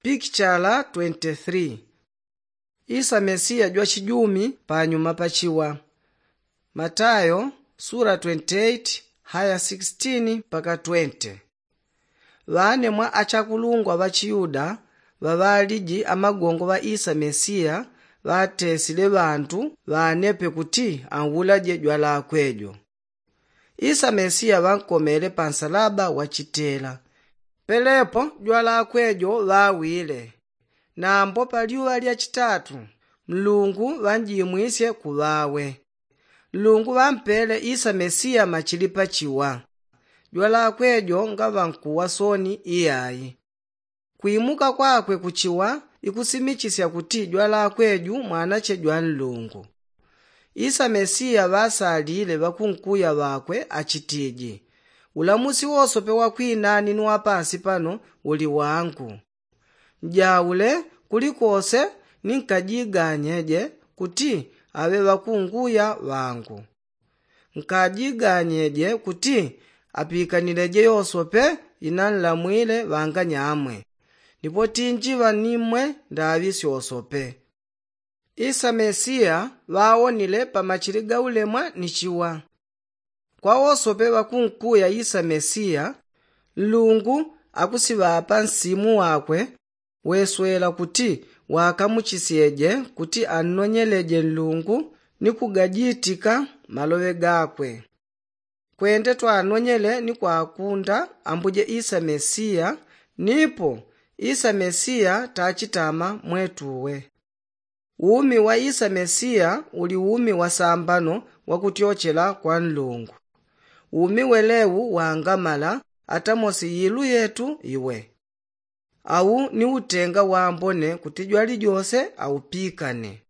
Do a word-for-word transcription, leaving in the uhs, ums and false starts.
Pikichala twenty-three. Isa mesiya jwachijumi panyuma pachiwa. Matayo sura twenty-eight haya sixteen mpaka twenty. Ŵane mwa achakulungwa ŵa chiyuda ŵaŵaliji amagongo ŵa isa mesiya ŵatesile ŵantu ŵanepe kuti anwulaje jwalakwe jo. Isa mesiya ŵankomele pa nsalaba wa chitela. Pelepo jwalakwe jo ŵawile. Nambo pa lyuŵa lya chitatu nlungu ŵanjimwisye ku ŵawe. Nlungu ŵampele isa mesiya machili pachiwa. Jwalakwe jo ngaŵankuwa soni iyayi. Kwimuka kwakwe kuchiwa ikusimichisya kuti jwalakwe ju mwanache jwa nlungu. Isa mesiya ŵasalile ŵakunkuya ŵakwe achitiji, ulamusi wosope wa kwinani ni wa pansi pano uli wangu. Njaule kulikose ni nkajiganyeje kuti aŵe ŵakunguya ŵangu. Nkajiganyeje kuti apikanileje yosope inanlamwile ŵanganyamwe. Nipo tinjiŵa ni mmwe ndaŵi syosope. Isa mesiya ŵawonile pa machili ga ulemwa ni chiwa. Kwa wosope ŵakunkuya isa mesiya, nlungu akusiŵapa nsimu wakwe weswela kuti wakamuchisyeje kuti annonyeleje nlungu ni kugajitika maloŵe gakwe. Kwende twanonyele ni kwakunda ambuje isa mesiya. Nipo isa mesiya tachitama mwetuwe. Umi wa isa mesiya uli umi wa sambano wa kutyochela kwa nlungu. Umi welewu wangamala atamosi yilu yetu iwe. Au ni utenga wambone kuti jwalijose aupikane.